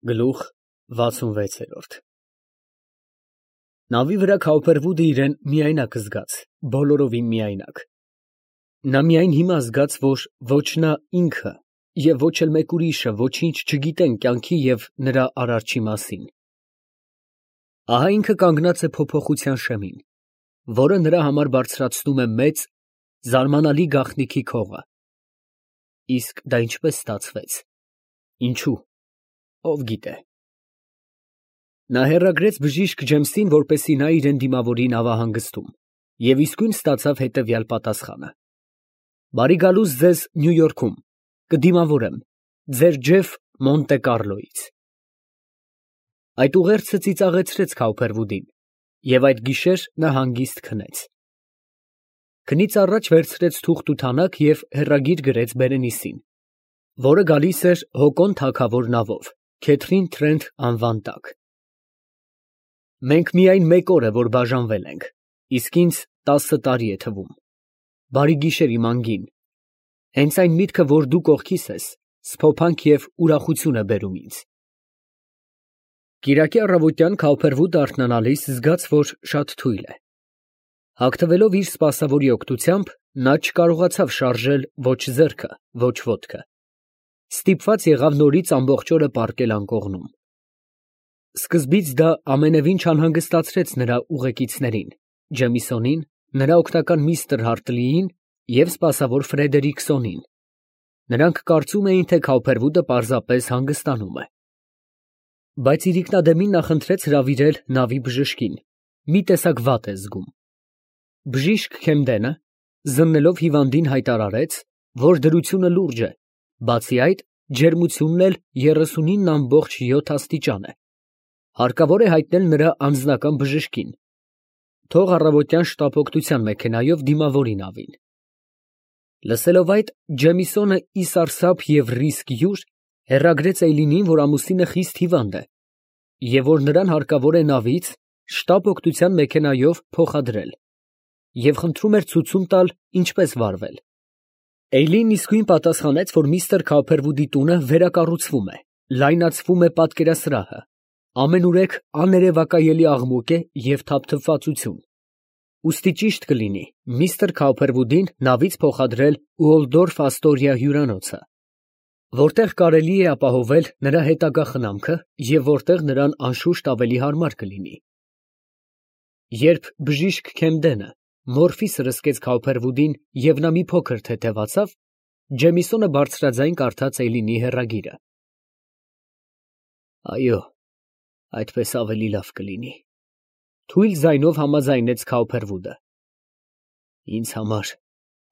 Գլուխ 66 Նավի վրա Քաուփերվուդը իրեն միայնակ զգաց, բոլորովին միայնակ։ Նա միայն հիմա զգաց, որ ոչ նա ինքը և ոչ էլ մեկ ուրիշը ոչինչ չգիտեն կյանքի և նրա արարչի մասին։ Ահա ինքը կանգնած է փոփոխության շեմին, որը նրա համար բարձրացնում է մեծ, զարմանալի գաղտնիքի քողը։ Իսկ դա ինչպես ստացվեց, ինչու, ով գիտե։ Նա հեռագրեց բժիշկ Ջեմսին, որպեսզի նա իրեն դիմավորի նավահանգստում, և իսկույն ստացավ հետևյալ պատասխանը. Բարի գալուստ ձեզ Նյու Յորքում, կդիմավորեմ, ձեր Ջեֆ Մոնտե Կառլոյից։ Այդ ուղերձը ծիծաղեցրեց Քաուփերվուդին, և այդ գիշեր նա հանգիստ քնեց։ Քնից առաջ վերցրեց թուղթ ու թանակ և հեռագիր գրեց Բերենիսին, որը գալիս էր Հոկոն թագավոր նավով, Քեթրին Թրենթ անվան տակ։ Մենք միայն մեկ օր է, որ բաժանվել ենք, իսկ ինձ 10 տարի է թվում։ Բարի գիշեր իմ անգին, հենց այն միտքը, որ դու կողքիս ես, սփոփանք և ուրախություն է բերում ինձ։ Կիրակի առավոտյան Քաուփերվուդը արթնանալիս զգաց, որ շատ թույլ է։ Հագնվելով իր սպասավորի օգնությամբ, նա չկարողացավ շարժել ոչ ձեռքը, ոչ ոտքը։ Ստիպված եղավ նորից ամբողջ օրը պառկել անկողնում։ Սկզբից դա ամենևին չանհանգստացրեց նրա ուղեկիցներին, Ջեմիսոնին, նրա օգնական միստր Հարտլիին և սպասավոր Ֆրեդերիկսոնին։ Նրանք կարծում էին, թե Քաուփերվուդը պարզապես հանգստանում է։ Բայց իրիկնադեմին նա խնդրեց հրավիրել նավի բժշկին, մի տեսակ վատ է զգում։ Բժիշկ Քեմդենը, զննելով հիվանդին, հայտարարեց, որ դրությունը լուրջ է, բացի այդ, ջերմությունն էլ 39.7 աստիճան է։ Հարկավոր է հայտնել նրա անձնական բժշկին, թող առավոտյան շտապօգնության մեքենայով դիմավորի նավին։ Լսելով այդ, Ջեմիսոնը ի սարսափ և ռիսկ յուր հեռագրեց Էյլինին, որ ամուսինը խիստ հիվանդ է, և որ նրան հարկավոր է նավից շտապօգնության մեքենայով փոխադրել, և խնդրում էր ցուցում տալ ինչպես վարվել։ Էյլին իսկույն պատասխանեց, որ միստր Քաուփերվուդի տունը վերակառուցվում է, լայնացվում է պատկերասրահը, ամենուրեք աներևակայելի աղմուկ է և թափթփվածություն, ուստի ճիշտ կլինի միստր Քաուփերվուդին նավից փոխադրել Ուոլդորֆ Աստորիա հյուրանոցը, որտեղ կարելի է ապահովել նրա հետագա խնամքը և որտեղ նրան անշուշտ ավելի հարմար կլինի։ Երբ բժիշկ Քեմդենը մորֆի սրսկեց Քաուփերվուդին և նա մի փոքր թեթևացավ, Ջեմիսոնը բարձրաձայն կարդաց Էյլինի հեռագիրը։ Այո, այդպես ավելի լավ կլինի, թույլ ձայնով համաձայնեց Քաուփերվուդը։ Ինձ համար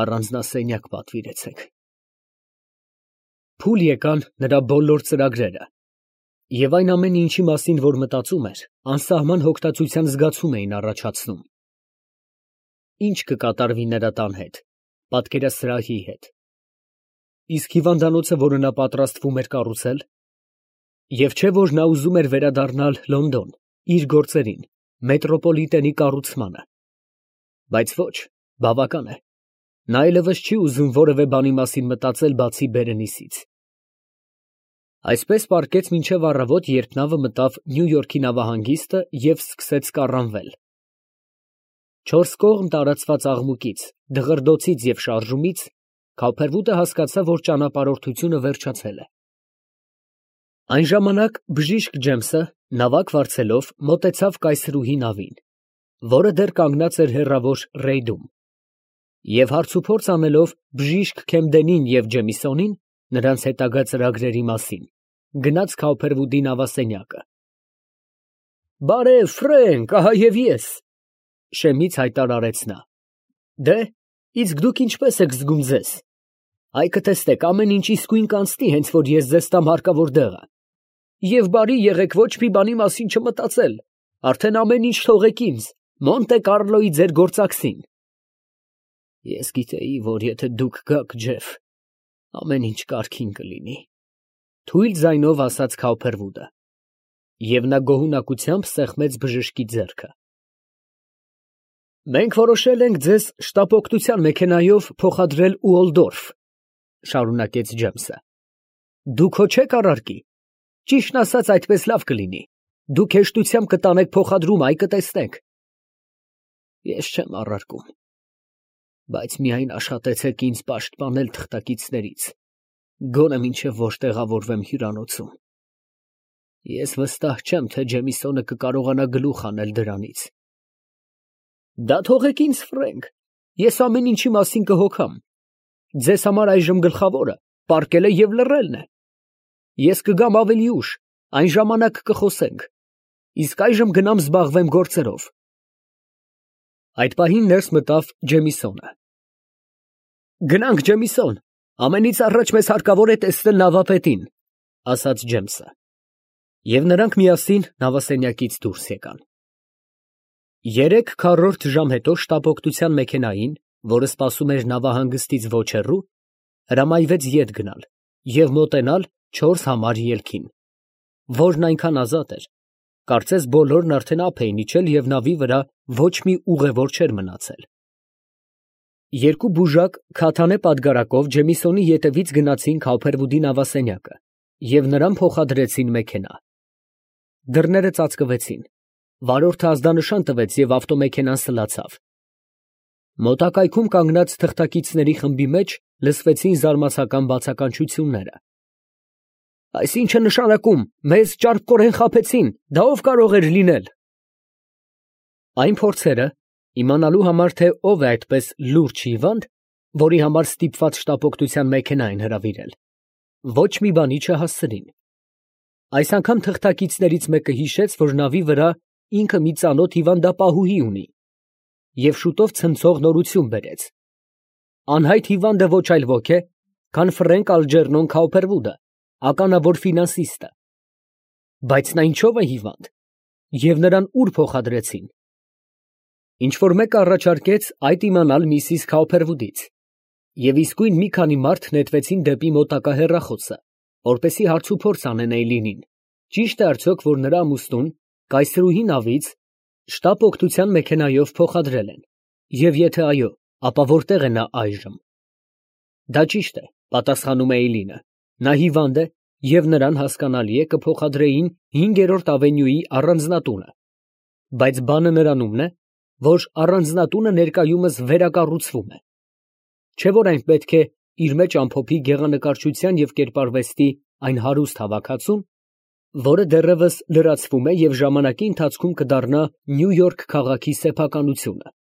առանձնասենյակ պատվիրեցեք։ Փուլ եկան նրա բոլոր ծրագրերը, և այն ամենը, ինչի մասին որ մտածում էր, անսահման հոգտացության զգացում էին առաջացնում։ Ինչ կկատարվի նրա տան հետ, պատկերասրահի հետ։ Իսկ հիվանդանոցը, որը նա պատրաստվում էր կառուցել, և չէ՞ որ նա ուզում էր վերադառնալ Լոնդոն, իր գործերին, մետրոպոլիտենի կառուցմանը։ Բայց ոչ, բավական է, նա այլևս չի ուզում որևէ բանի մասին մտածել, բացի Բերենիսից։ Այսպես պառկեց մինչև առավոտ, երբ նավը մտավ Նյու Յորքի նավահանգիստը և սկսեց կառանվել։ Չորս կողմ տարածված աղմուկից, դղրդոցից և շարժումից Քաուփերվուդը հասկացավ, որ ճանապարհորդությունը վերջացել է։ Այն ժամանակ բժիշկ Ջեմսը, նավակ վարձելով, մոտեցավ կայսրուհի նավին, որը դեռ կանգնած էր հեռավոր ռեյդում, և հարցուփորձ անելով բժիշկ Քեմդենին և Ջեմիսոնին նրանց հետագա ծրագրերի մասին, գնաց Քաուփերվուդի նավասենյակը։ Բարև, Ֆրենք, ահա և ես, շեմից հայտարարեց նա։ Դե, իսկ դուք ինչպես եք զգում ձեզ։ Այ կտեսնեք, ամեն ինչ իսկույն կանցնի, հենց որ ես ձեզ տամ հարկավոր դեղը։ Եվ բարի եղեք ոչ մի բանի մասին չմտածել, արդեն ամեն ինչ թողեք ինձ, Մոնտե Կառլոյի ձեր գործակցին։ Ես գիտեի, որ եթե դուք գաք, Ջեֆ, ամեն ինչ կարգին կլինի, թույլ ձայնով ասաց Քաուփերվուդը, և նա գոհունակությամբ սեղմեց բժշկի ձեռքը։ Մենք որոշել ենք ձեզ շտապօգնության մեքենայով փոխադրել Ուոլդորֆ, շարունակեց Ջեմսը։ Դուք հո չեք առարկի։ Ճիշտն ասած, այդպես լավ կլինի։ Դուք հեշտությամբ կտանեք փոխադրումը, այ կտեսնեք։ Ես չեմ առարկում, բայց միայն աշխատեցեք ինձ պաշտպանել թղթակիցներից, գոնե մինչև որ տեղավորվեմ հյուրանոցում։ Ես վստահ չեմ, թե Ջեմիսոնը կկարողանա գլուխ անել դրանից։ Դա թողեք ինձ, Ֆրենկ, ես ամեն ինչի մասին կհոգամ։ Ձեզ համար այժմ գլխավորը պառկելը և լռելն է։ Ես կգամ ավելի ուշ, այն ժամանակ կխոսենք։ Իսկ այժմ գնամ զբաղվեմ գործերով։ Այդ պահին ներս մտավ Ջեմիսոնը։ Գնանք, Ջեմիսոն, ամենից առաջ մեզ հարկավոր է տեսնել նավապետին, ասաց Ջեմսը։ Եվ նրանք միասին նավասենյակից դուրս եկան։ 3/4 ժամ հետո շտապօգնության մեքենային, որը սպասում էր նավահանգստից ոչ հեռու, հրամայվեց ետ գնալ և մոտենալ 4 համար ելքին, որն այնքան ազատ էր, կարծես բոլորն արդեն ափ էին իջել և նավի վրա ոչ մի ուղևոր չէր մնացել։ Երկու բուժակ քաթանե պատգարակով Ջեմիսոնի ետևից գնացին Քաուփերվուդի նավասենյակը և նրան փոխադրեցին մեքենա։ Դռները ծածկվեցին, վարորդը ազդանշան տվեց և ավտոմեքենան սլացավ։ Մոտակայքում կանգնած թղթակիցների խմբի մեջ լսվեցին զարմացական բացականչությունները։ Այս ի՞նչ է նշանակում, մեզ ճարպկորեն խաբեցին, դա ով կարող էր լինել։ Այն փորձերը, իմանալու համար, թե ով է այդպես լուրջ հիվանդ, որի համար ստիպված շտապօգնության մեքենա են հրավիրել, ոչ մի բանի չհասցրին։ Այս անգամ թղթակիցներից մեկը հիշեց, որ նավի վրա ինքը մի ծանոթ հիվանդապահուհի ունի, և շուտով ցնցող նորություն բերեց։ Անհայտ հիվանդը ոչ այլ ոք է, քան Ֆրենկ Ալջերնոն Քաուփերվուդը, ականավոր ֆինանսիստը։ Բայց նա ինչո՞վ է հիվանդ, և նրան ուր փոխադրեցին։ Ինչ֊որ մեկը առաջարկեց այդ իմանալ միսիս Քաուփերվուդից, և իսկույն մի քանի մարդ նետվեցին դեպի մոտակա հեռախոսը, որպեսզի հարցուփորձ անեն Էյլինին, ճի՞շտ է արդյոք, որ նրա ամուսնուն կայսրուհի նավից շտապօգնության մեքենայով փոխադրել են, և եթե այո, ապա որտե՞ղ է նա այժմ։ Դա ճիշտ է, պատասխանում է Էյլինը, նա հիվանդ է, և նրան, հասկանալի է, կփոխադրեին 5-րդ ավենյուի առանձնատունը, բայց բանը նրանումն է, որ առանձնատունը ներկայումս վերակառուցվում է։ Չէ՞ որ այն պետք է իր մեջ ամփոփի գեղանկարչության և կերպարվեստի այն հարուստ հավաքածուն, որը դեռևս լրացվում է և ժամանակի ընթացքում կդառնա Նյու Յորք քաղաքի սեփականությունը։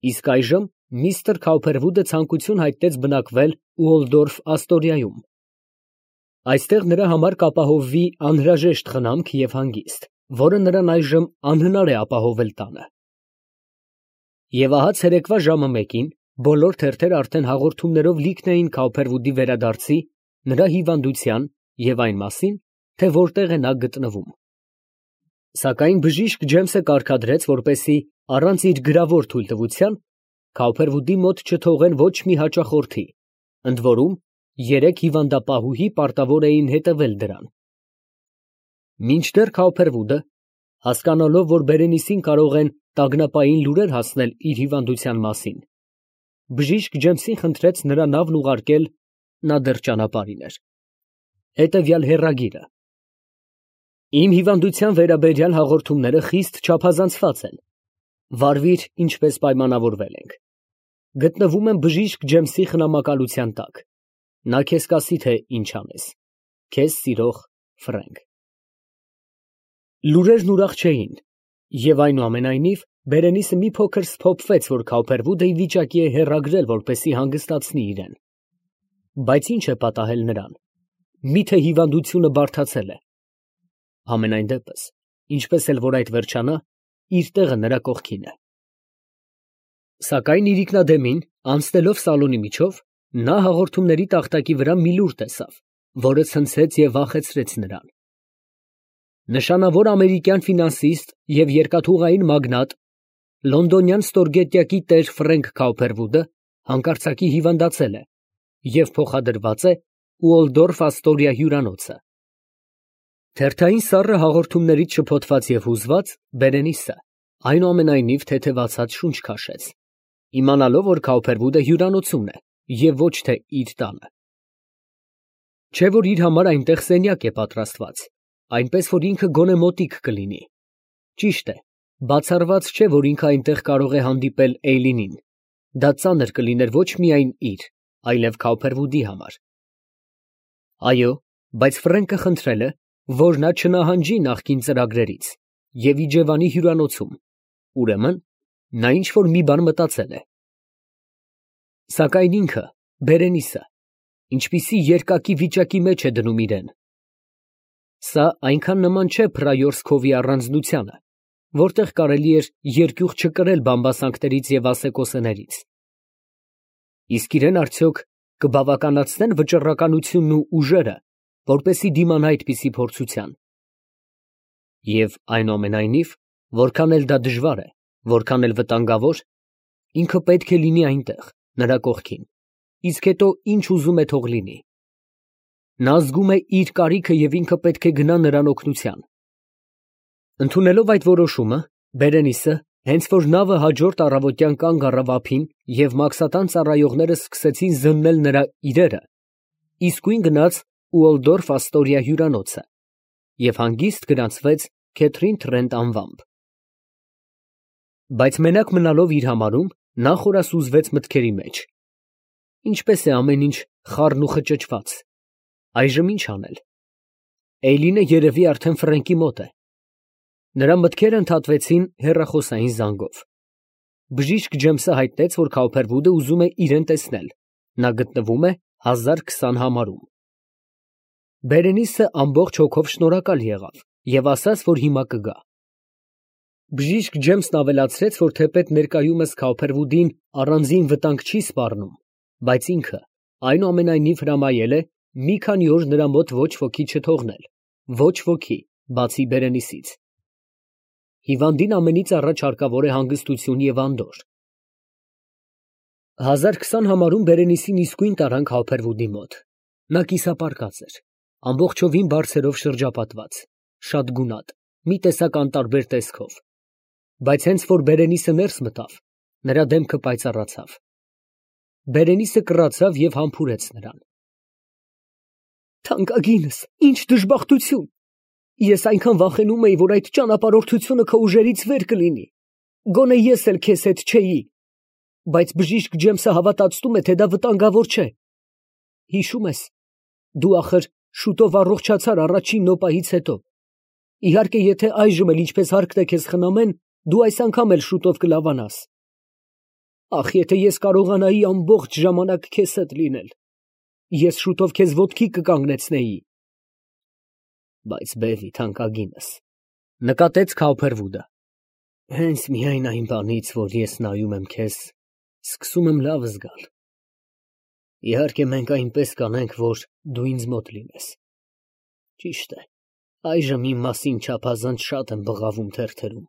Իսկ այժմ միստր Քաուփերվուդը ցանկություն հայտնեց բնակվել Ուոլդորֆ Աստորիայում։ Այստեղ նրա համար կապահովվի անհրաժեշտ խնամք և հանգիստ, որը նրան այժմ անհնար է ապահովել տանը։ Եվ ահա ցերեկվա ժամը 1-ին բոլոր թերթերը արդեն հաղորդումներով լիքն էին Քաուփերվուդի վերադարձի, նրա հիվանդության և այն մասին, թե որտեղ է նա գտնվում։ Սակայն բժիշկ Ջեմսը կարգադրեց, որպեսզի առանց իր գրավոր թույլտվության Քաուփերվուդի մոտ չթողեն ոչ մի հաճախորդի, ընդ որում 3 հիվանդապահուհի պարտավոր էին հետևել դրան։ Մինչդեռ Քաուփերվուդը, հասկանալով, որ Բերենիսին կարող են տագնապային լուրեր հասնել իր հիվանդության մասին, բժիշկ Ջեմսին խնդրեց նրա նավն ուղարկել, նա դեռ ճանապարհին էր, հետևյալ հեռագիրը. Իմ հիվանդության վերաբերյալ հաղորդումները խիստ չափազանցված են։ Վարվիր, ինչպես պայմանավորվել ենք։ Գտնվում եմ բժիշկ Ջեմսի խնամակալության տակ։ Նա քեզ կասի, թե ինչ անես։ Քեզ սիրող Ֆրենկ։ Լուրերն ուրախ չէին, և այնուամենայնիվ Բերենիսը մի փոքր սփոփվեց, որ Քաուփերվուդը ի վիճակի է հեռագրել, որպեսզի հանգստացնի իրեն։ Բայց ի՞նչ է պատահել նրան։ Մի՞թե հիվանդությունը բարդացել է։ Համենայն դեպս, ինչպես էլ որ այդ վերջանա, իր տեղը նրա կողքին է։ Սակայն իրիկնադեմին, անցնելով սալոնի միջով, նա հաղորդումների տախտակի վրա մի լուր տեսավ, որը ցնցեց և վախեցրեց նրան։ Նշանավոր ամերիկյան ֆինանսիստ և երկաթուղային մագնատ, լոնդոնյան ստորգետնյակի տեր Ֆրենկ Քաուփերվուդը հանկարծակի հիվանդացել է և փոխադրված է Ուոլդորֆ Աստորիա հյուրանոցը։ Թերթային սառը հաղորդումներից շփոթված և հուզված, Բերենիսը այնուամենայնիվ թեթևացած շունչ քաշեց, իմանալով, որ Քաուփերվուդը հյուրանոցումն է և ոչ թե իր տանը։ Չէ որ իր համար այնտեղ սենյակ է պատրաստված, այնպես որ ինքը գոնե մոտիկ կլինի։ Ճիշտ է, բացառված չէ, որ ինքը այնտեղ կարող է հանդիպել Էյլինին։ Դա ծանր կլիներ ոչ միայն իր, այլև Քауփերվուդի համար։ Այո, բայց Ֆրենկը խնդրել է, որ նա չնահանջի նախկին ծրագրերից և իջևանի հյուրանոցում, ուրեմն նա ինչ֊որ մի բան մտածել է։ Սակայն ինքը, Բերենիսը, ինչպիսի երկակի վիճակի մեջ է դնում իրեն։ Սա այնքան նման չէ Փրայորսկովի առանձնությանը, որտեղ կարելի էր երկյուղ չկրել բամբասանքներից և ասեկոսեներից։ Իսկ իրեն արդյոք կբավականացնեն վճռականությունն ու ուժերը, որպեսզի դիմանա այդպիսի փորձության։ Եվ այնուամենայնիվ, որքան էլ դա դժվար է, որքան էլ վտանգավոր, ինքը պետք է լինի այնտեղ, նրա կողքին, իսկ հետո ինչ ուզում է թող լինի։ Նա զգում է իր կարիքը և ինքը պետք է գնա նրան օգնության։ Ընդունելով այդ որոշումը, Բերենիսը, հենց որ նավը հաջորդ առավոտյան կանգ առավ ափին և մաքսատան ծառայողները սկսեցին զննել նրա իրերը, իսկույն գնաց Ուոլդորֆ Աստորիա հյուրանոցը և հանգիստ գնացվեց Քեթրին Թրենտ անվամբ։ Բայց մենակ մնալով իր համարում, նա խորասուզվեց մտքերի մեջ։ Ինչպես է ամեն ինչ խառն ու խճճված։ Այժմ ինչ անել։ Էյլինը երևի արդեն Ֆրենկի մոտ է։ Նրա մտքերը ընդհատվեցին հեռախոսային զանգով։ Բժիշկ Ջեմսը հայտնեց, որ Քауփերվուդը ուզում է իրեն տեսնել։ Նա գտնվում է 1020 համարում։ Բերենիսը ամբողջ հոգով շնորհակալ եղավ և ասաց, որ հիմա կգա։ Բժիշկ Ջեմսն ավելացրեց, որ թեպետ ներկայումս Քауփերվուդին առանձին վտանգ չի սպառնում, բայց ինքը այնուամենայնիվ հրամայել է մի քանի օր նրա մոտ ոչ ոքի չթողնել, ոչ ոքի, բացի Բերենիսից։ Հիվանդին ամենից առաջ հարկավոր է հանգստություն և անդորր։ 1020 համարում Բերենիսին իսկույն տարան Քауփերվուդի մոտ։ Նա կիսապարկած էր, ամբողջովին բարձերով շրջապատված, շատ գունատ, մի տեսակ անտարբեր տեսքով։ Բայց հենց որ Բերենիսը ներս մտավ, նրա դեմքը պայծառացավ։ Բերենիսը կռացավ և համբուրեց նրան։ Թանկագինս, ինչ դժբախտություն։ Ես այնքան վախենում էի, որ այդ ճանապարհորդությունը քո ուժերից վեր կլինի։ Գոնե ես էլ քեզ հետ չէի։ Բայց բժիշկ Ջեմսը հավատացնում է, թե դա վտանգավոր չէ։ Հիշում ես, դու ախր շուտով առողջացար առաջին նոպայից հետո։ Իհարկե, եթե այժմ էլ ինչպես հարկն է քեզ խնամեն, դու այս անգամ էլ շուտով կլավանաս։ Ախ, եթե ես կարողանայի ամբողջ ժամանակ քեզ հետ լինել, ես շուտով քեզ ոտքի կկանգնեցնեի։ Բայց բևի, թանկագինս, նկատեց Քауփերվուդը, հենց միայն այն բանից, որ ես նայում եմ քեզ, սկսում եմ լավ զգալ։ Իհարկե, մենք այնպես կանենք, որ դու ինձ մոտ լինես։ Ճիշտ է, այժմ իմ մասին չափազանց շատ եմ բղավում թերթերում,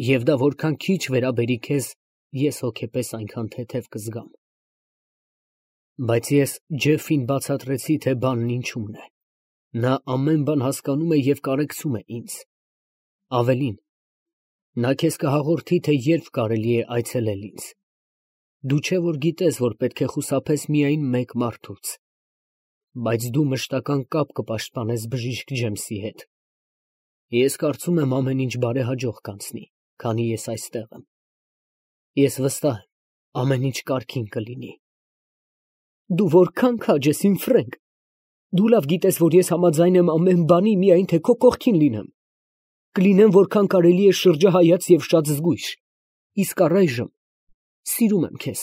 և դա որքան քիչ վերաբերի քեզ, ես հոգեպես այնքան թեթև կզգամ։ Բայց ես Ջեֆին բացատրեցի, թե բանն ինչումն է։ Նա ամեն բան հասկանում է և կարեկցում է ինձ։ Ավելին, նա քեզ կհաղորդի, թե երբ կարելի է այցելել ինձ։ Դու չէ որ գիտես, որ պետք է խուսափես միայն մեկ մարդուց, բայց դու մշտական կապ կպաշտպանես բժիշկ Ջեմսի հետ։ Ես կարծում եմ ամեն ինչ բարեհաջող կանցնի, քանի ես այստեղ եմ։ Ես վստահ եմ, ամեն ինչ կարգին կլինի։ Դու որքան քաջ ես, իմ Ֆրենկ։ Դու լավ գիտես, որ ես համաձայն եմ ամեն բանի, միայն թե քո կողքին լինեմ։ Կլինեմ որքան կարելի է շրջահայաց և շատ զգույշ։ Իսկ առայժմ սիրում եմ քեզ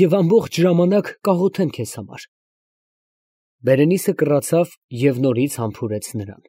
և ամբողջ ժամանակ կաղոթեմ քեզ համար։ Բերենիսը կռացավ և նորից համբուրեց նրան։